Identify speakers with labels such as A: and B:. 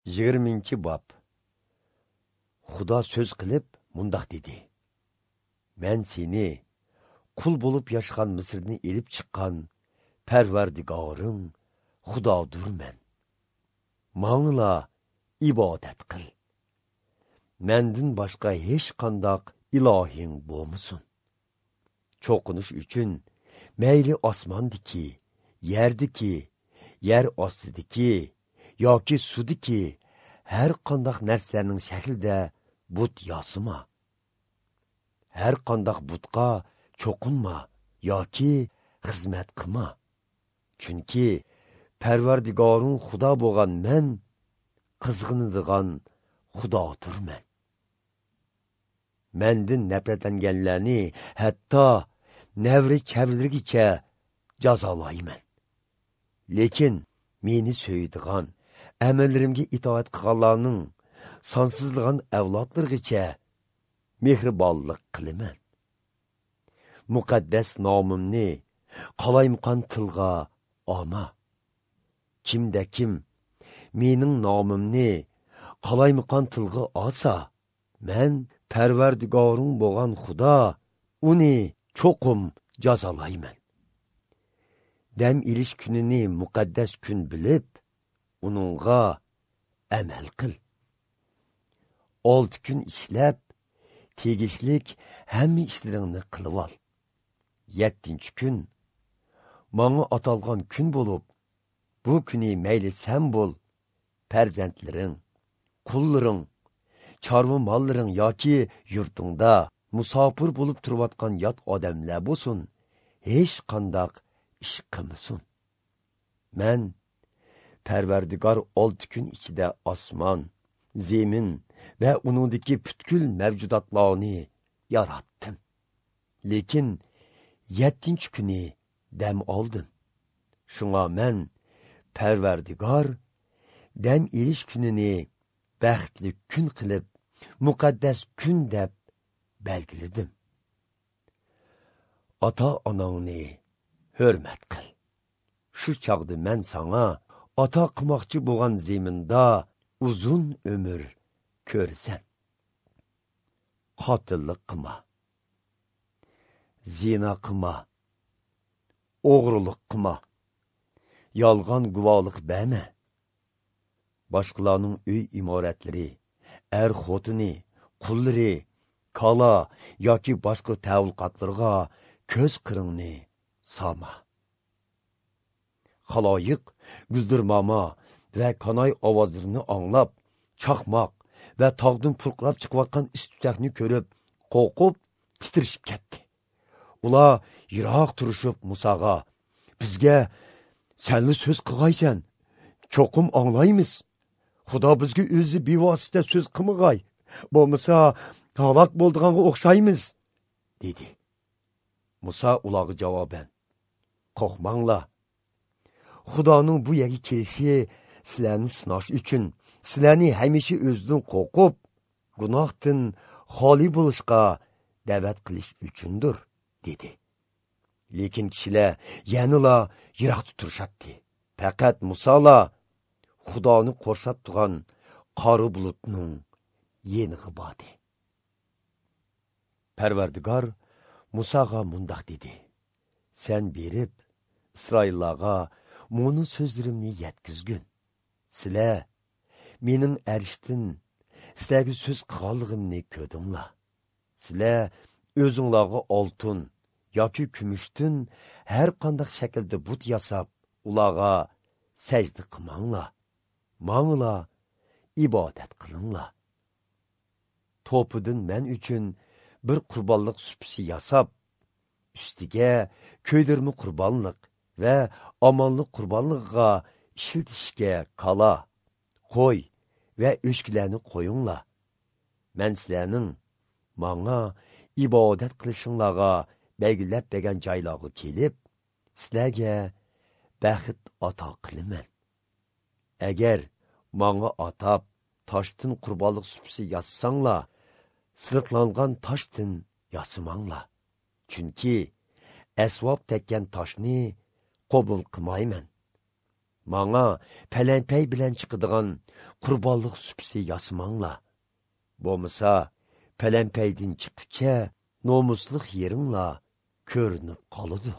A: 20-bob. Xudo so'z qilib mundoq dedi: Men seni qul bo'lib yashagan Misrdan elib chiqqan Parvardigoring Xudodurman. Mangla ibodat qil. Mendan boshqa hech qandoq ilohing bo'lmasin. Cho'qinish uchun mayli osmondiki, yerdiki, yer ostidiki yoki sudiki har qandoq narsalarning shaklida but yasama. Har qandoq butqa cho'qinma yoki xizmat qilma. Chunki Parvardigoring Xudo bo'lgan men qizg'inadigan Xudodirman. Mendan nafratlanganlarni hatto navri chavlarigacha jazolayman. Lekin meni so'ydigan, amallarimga itoat qilganlarning sonsizlagan avlodlarigacha mehribonlik qilaman. Muqaddas nomimni qalaymqon tilga olma. Kimda kim mening nomimni qalaymqon tilga olsa, men Parvardigoring bo'lgan Xudo uni cho'qim jazolayman. Dam ilish kunini muqaddas kun bilib, uningga amal qil. 6 kun ishlab, tegishlik hamma ishlaringni qilib ol. 7-kun manga atalgan kun bo'lib, bu kuni mayli sen bo'l, farzandlaring, qullaring, chorva mollaring yoki yurtingda musofir bo'lib turayotgan yot odamlar bo'lsin, hech qandoq ish qilmasin. Men Parvardigor 6 kun ichida osmon, zemin va uningdagi butkul mavjudotlarni yaratdim. Lekin 7-kuni dam oldim. Shunga men Parvardigor dam elish kunini baxtli kun qilib, muqaddas kun deb belgiladim. Ota-onangni hurmat qil. Shu chog'da men sanga ato qilmoqchi bo'lgan zeminda uzun umr ko'rasan. Qotillik qilma, zina qilma, o'g'rilik qilma, yolg'on guvohlik berma. Boshqalarning uy imoratlari, er xotini, qullari, kala yoki boshqa tavulqatlarga ko'z qiringni solma. Xaloyiq guldirmama va kanoy ovozlarini anglab, chaqmoq va tog'dan purqirab chiqayotgan is tutakni ko'rib, qo'rqib titrishib ketdi. Ular yiroq turishib Musoga: "Bizga senli so'z qilg'aysan, cho'qim anglaymiz. Xudo bizga o'zi bevosita so'z qilmag'ay, bo'lmasa halok bo'ldiganga o'xshaymiz", dedi. Muso ularga javoban: "Qo'rqmanglar. Xudoning bu yerga kelishi sizlarni sinash uchun, sizlarni hamisha o'zidan qo'rqib, gunohdan xoli bo'lishga da'vat qilish uchundir", dedi. Lekin kishilar yanala yiroqda turishatdi. Faqat Musola Xudoni qo'rshab turgan qora bulutning yenig'i bordi. Parvardigor Musoga mundoq dedi: "Sen berib Isroillarga muni so'zlarimni yetkazgin. Sizlar mening arshdan sizlarga so'z qilganligimni ko'rdinglar. Sizlar o'zinglarga oltin yoki kumushdan har qanday shaklda but yasab, ularga sajda qilmanglar. Mangla ibodat qilinglar. To'pidan men uchun bir qurbonlik supisi yasab, ustiga ko'ydirma qurbonlik va omonlik qurbonligiga ishlatishga kala, qo'y va o'chkilarni qo'yinglar. Men sizlarning manga ibodat qilishinglarga belgilab bergan joylarga kelib, sizlarga baxt ato qilaman. Agar manga atab toshdan qurbonlik supisi yassanglar, siliqlangan toshdan yasamanglar. Chunki asvob tekkan toshni qabul qilmayman. Manga palanpay bilan chiqadigan qurbonlik supisi yasamanglar. Bo'lmasa, palanpaydin chiqqucha nomusliq yeringlar ko'rinib qoladi.